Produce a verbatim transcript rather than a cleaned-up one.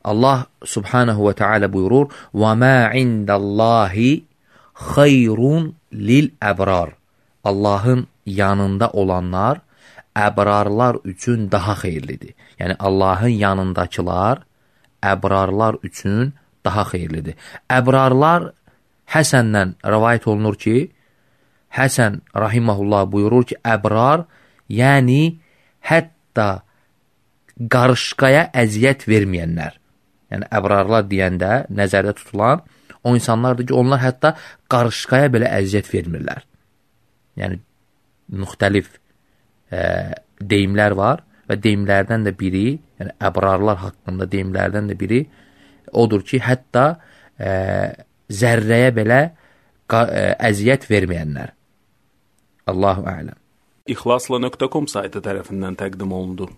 Allah subhanahu və teala buyurur: "Və mə indallahi xeyrun lil-əbrar." Allahın yanında olanlar əbrarlar üçün daha xeyirlidir. Yəni Allahın yanındakılar əbrarlar üçün daha xeyirlidir. Əbrarlar Həsəndən rivayet olunur ki, Həsən rahimehullah buyurur ki, əbrar, yəni hətta qarışqaya əziyyət verməyənlər. Yəni əbrarlar deyəndə nəzərdə tutulan o insanlardır ki, onlar hətta qarışqaya belə əziyyət vermirlər. Yəni müxtəlif e, deyimlər var və deyimlərdən də biri, yəni əbrarlar haqqında deyimlərdən də biri odur ki, hətta e, zərrəyə belə ə, əziyyət verməyənlər. Allahu a'lam. İxlasla nöqtə com saytı tərəfindən təqdim olundu.